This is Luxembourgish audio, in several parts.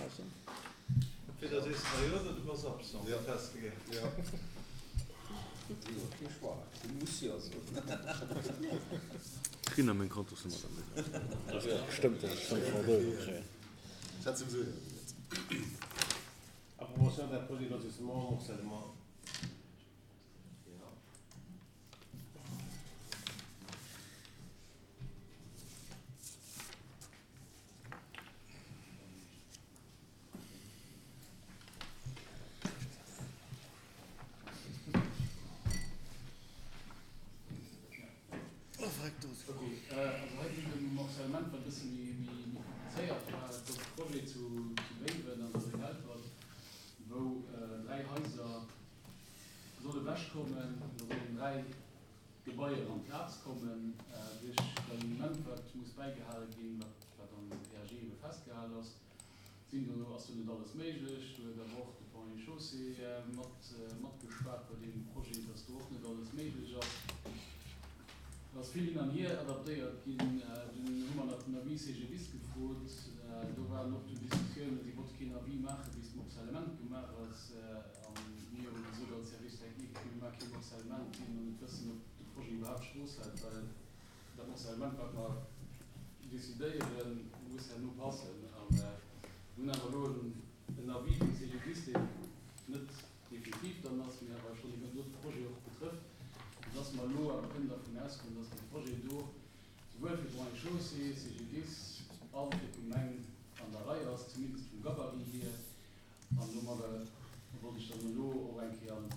Dobaussen. Entweder sees de mer jo oder du bass absent festgeluecht. Kritt nach meng Kontosnummer dann net. Stëmmt dat ech 500 Euro kréien? Approbation d'un projet de lotissement morcellement. Ok, also hei geet et ëm e Morcellement, wat e bësse méi komplizéiert war. Et gouf e Projet zu Béiwen an der Rue Helpert, wou 3 Haiser solle wechkommen, do sollen 3 Gebaier amplaz kommen. Duerch d'Alignement, wat muss bäigehale ginn, wat am PAG ebe festgehal ass, sinn do, ass do net alles méiglech. Do huet awer och de Ponts et Chaussées mat matgeschwat bei deem Projet, dass do och net alles méiglech ass. Et ass vill hin an hier adaptéiert ginn. Dunn hu mer nach den Avis CGDIS gefrot. Do waren och dunn Diskussiounen, si wollte keen Avis maachen, bis d'Morcellement gemaach ass. A mir hu gesot als Service technique, mir maache kee Morcellement, ier mer net wëssen, ob de Projet iwwerhaapt d'Strooss hält, well Dat Morcellement, wat mer decidéieren, muss herno passen. A mir hunn awer elo en Avis vum CGDIS, deen net definitiv dann ass, mee awer schonn iwwer de Projet och betrëfft, soudass mer elo awer kënnen dervun ausgoen, dass de Projet do souwuel fir d'Ponts et Chaussées, CGDIS a fir d'Gemeng an der Rei ass, zumindest vum Gabarit hier. An domadder wollt ech dann elo och eng Kéier an de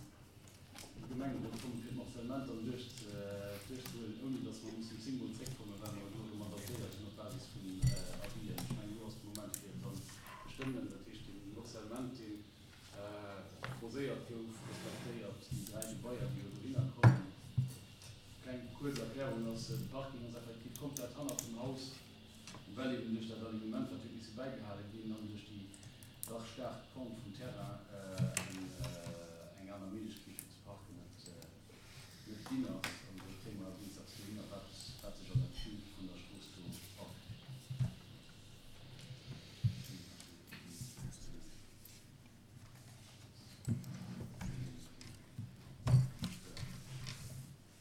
Gemengerot kommen, fir d'Morcellement dann duerchzehuelen, ouni datt mer mussen zéngmol zréckkommen, well mer elo erëm adaptéiert hunn op Basis vun Avisen. Ech mengen, elo ass de Moment, fir et dann ze stëmmen. Dat heescht, de Morcellement, dee proposéiert gouf, respektéiert déi 3 Gebaier, déi elo dohinner kommen. Kleng kuerz Erklärung ass, De Parking ass effektiv komplett hannert dem Haus. Well eben duerch dat Alignement, wat huet misse bäigehale ginn, an duerch déi dach staark Pente vum Terrain eng aner Méiglechkeet fir ze parken net net ginn ass. An do kréie mer dienstags dohinner, wat wat sech an der Vue vun der Strooss do ergëtt.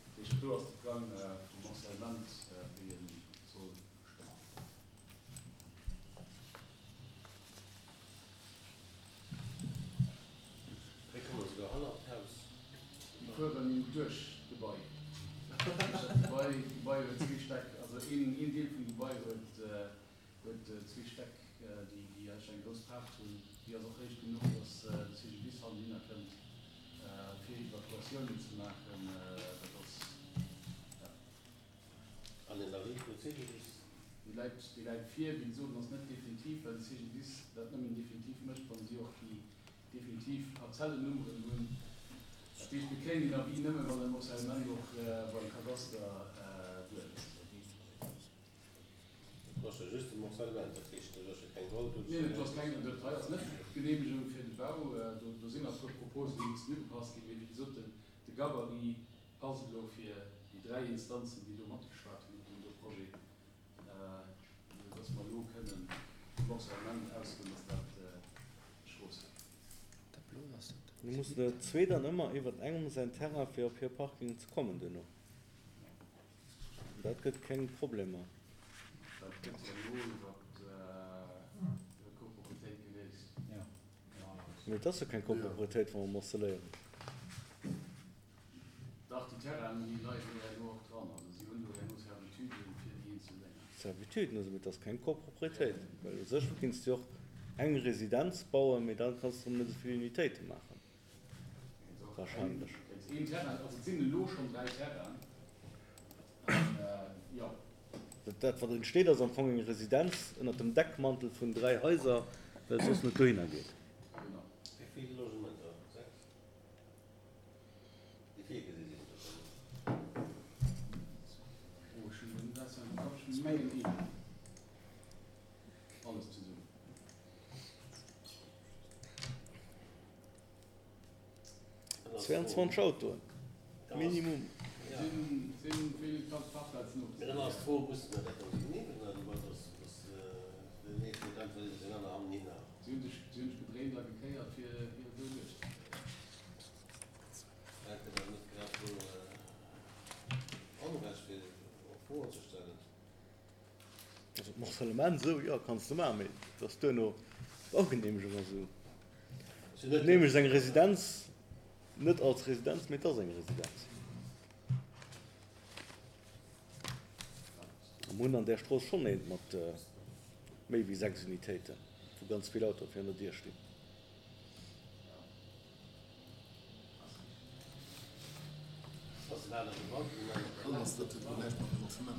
Dat heescht, do ass de Plang vum Morcellement, wéi e soll stëmmen. Hei komme se souguer hannert d'Haus. Déi fueren duerch d'Gebai. Dat Gebai, d'Gebai huet zwee Stäck, also een Deel vum Gebai huet huet zwee Stäck, déi eigentlech eng grouss Paart hunn. Déi ass och héich genuch, datt de CGDIS hannendinner kënnt, fir Evakuatiounen ze maachen. Dat ass, ja. An den Avis vum CGDIS? Dee läit, dee läit vir. Wéi gesot, en ass net definitiv, well de CGDIS dat nëmmen definitiv mécht, wa si och déi definitiv Parzellennummeren hunn. Dat heescht, mir kréien deen Avis nëmmen, wann de Morcellement och beim Kadaster duerch ass. Do ass jo just de Morcellement, dat heescht, do ass jo keng Roll. Neen, do ass keng, dat hei ass net d'Geneemegung fir de Bau. Do sinn nach e puer Proposen, déi mussen ugepasst ginn. Mee wéi gesot, de Gabarit passt elo fir déi 3 Instanzen, déi do matgeschwat hunn op deem do Projet, esou dass mer elo kënnen vum Morcellement ausgoen, dass dat d'Strooss hätt. Lo mussen der zwee dann ëmmer iwwert engem säin Terrain fir op hir Parking ze kommen duerno. Dat gëtt keng Problemer. Dat gëtt jo elo iwwer d'Copropriétéit geléist. Mee et ass jo keng Copropriétéit, wa mer morceléieren. Dach, déi Terrainen, déi leien do herno och dran. Also si hunn do herno Servituden fir déi eenzel Dénger. Servituden hu se, mee et ass keng Copropriétéit. Well u sech kinns de jo och eng Residenz bauen, mee da kanns de erëm net esou vill Unitéite maachen. Wahrscheinlech. Een Terrain, also et sinn elo schonn 3 Terrainen, an jo. Dat wat entsteet ass am Fong eng Residenz ënnert dem Deckmantel vun 3 Haiser, well et soss net dohinner geet. Genau. Wéi vill Logementer? 6? Déi virgesi sinn? Oh, ech hunn elo net auswendig am Kapp, ech mengen een. Alles zesummen. 22 Autoen minimum. Si hunn sech, si hunn sech gedréint a gekéiert, fir fir et esou duerchzekréien. Hält Dir dat net grad esou Onrecht, fir och Froen ze stellen? Also d'Morcellement esou, jo, kanns de maachen, mee et ass duerno d'Baugeneemegung ass esou. Geneemegt ass eng Residenz net als Residenz, mee et ass eng Residenz. A mir hunn an där Strooss schonn eent mat méi wéi 6 Unitéiten, wou ganz vill Autoe virun der Dier stinn.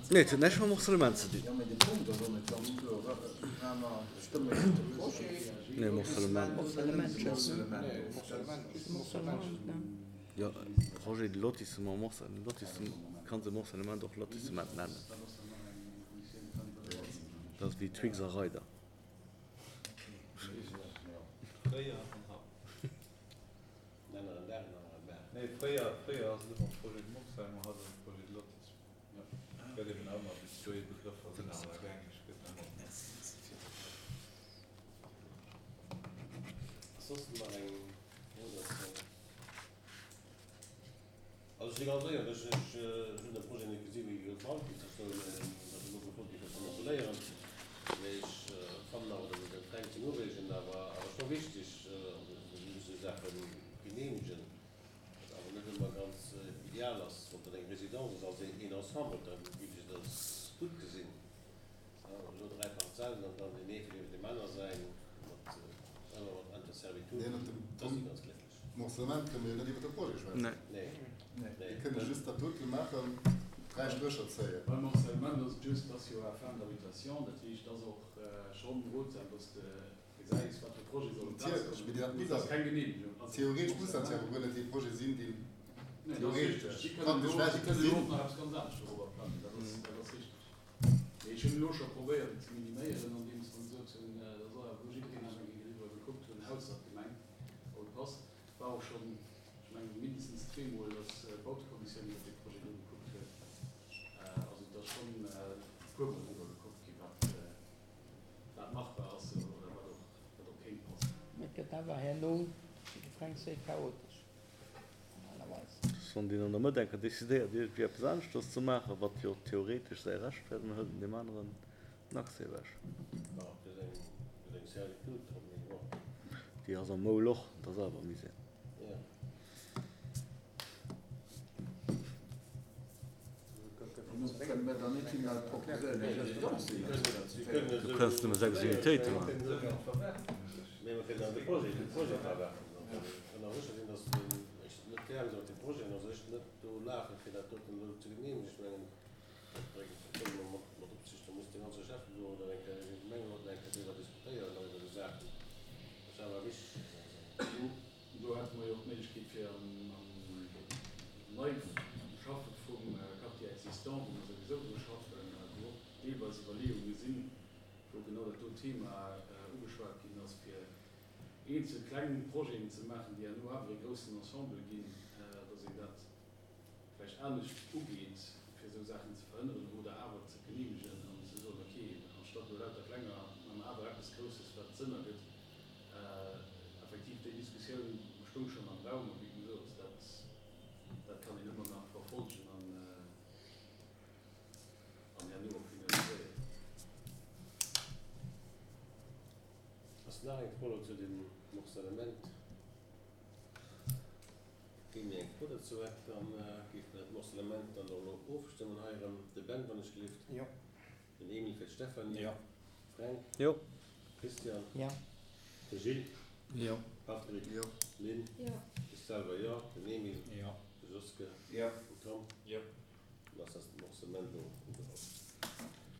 Nee, et huet näischt mam Morcellement ze dinn. Nee, Morcellement. Jo, Projet de lotissement, Lotissement, kanns e Morcellement och Lotissement nennen. Dat ass wéi Twix a Reider. Also ech si ganz éierlech, ech hunn de Projet net gesi wéi e gebaut ginn ass, ech soen, datt elo gefrot gi fir ze moduléieren, mee ech fannen awer, datt et e klengsten Ureegen awer awer scho wichteg, also mir musse Saache geneemegen, wat awer net ëmmer ganz ideal ass, wann dat eng Résidence ass als een Ensemble, da géif ech et als gutt gesinn, elo 3 Parzellen an dann deen ee fir deem aner säin mat ëmmer mat Interservitude, da si ganz glécklech. Morcellement kënne mir jo net iwwer de Projet schwätzen. Nee. Mir kënne just dat dote maachen, 3 Strécher zéien. Beim Morcellement ass et just, dass jo à fin d'habitation, dat heescht, et ass och schonn rotsam, dass de gesäis, wat fir Projet soll op d'Plaz kommen. Mee et ass keng Geneemegung. Also Theoretesch muss dat jo awer guer net dee Projet sinn, deen Nee, dat ass richteg. theoretesch Si kënnen praktesch elo, vläicht si kënnen elo gesinn. och nach eppes ganz anescht dorobber plangen, dat ass, dat ass richteg. Mee ech hunn elo scho probéiert, et ze miniméieren, andeems mer gesot hunn, dat ass awer, wou jiddereen nach eng Kéier driwwer gekuckt hunn, ausser d'Gemeng. Paul Pass, War och schonn, ech mengen, mindestens zweemol, datt d'Bautekommissioun iwwer dee Projet do gekuckt huet. Also et ass schonn e puermol driwwer gekuckt gi wat wat machbar ass oder wat och wat och kéint passen. Mee et gëtt awer herno, wéi de Fränk seet, chaotesch normalerweis. Wann deen an der Mëtt eng Kéier decidéiert iergendwéi eppes aneschters ze maachen, wat jo theoretesch säi Recht wär, dann hëlt en deem aneren den Accès ewech. Déi ass am Moul och, dat ass awer Misär. Du kënns nëmme 6 Unitéite maachen. Dat bréngt, dat kënne mer mat, mat Absicht, da muss de ganze Schäfferot oder eng Kéier de Gemengerot nach eng Kéier driwwer diskutéieren an iwwer esou Saachen. Dat ass awer wichteg. Do, do hätte mer jo och d'Méiglechkeet fir am, am Neischaffe vum Quartier existant, wou mer souwisou dru schaffen, wou och deelweis Iwwerleeunge sinn, wou genau dat do Thema ugeschwat ginn ass, fir eenzel kleng Projeten ze maachen, déi herno awer ee groussen Ensemble ginn, dass een dat vläicht anescht ugeet, fir esou Saachen ze verhënneren oder awer ze geneemegen an ze soen, ok, anstatt elo lauter klenger, maache mer awer eppes Grousses, wat Sënn ergëtt. Effektiv, déi Diskussioun stoung schonn am Raum a wéi gesot, dat, dat kann een ëmmer nach verfolgen an, an herno och finaliséieren. Ass nach eng Fro elo zu dem Morcellement? Keen méi eng Fro dozou hätt, da géife mer dat Morcellement dann och elo ofstëmmen. Hei erëm de Ben, wann ech gelift. Jo. Den Emile fir d'Stéphanie. Jo. Fränk. Jo. Christian. Jo. De Gilles. Jo. Patrick. Jo. Lynn. Jo. Ech selwer jo. Den Emile. Jo. De Joske. Jo. Den Tom. Jo. Dann ass dat Morcellement elo.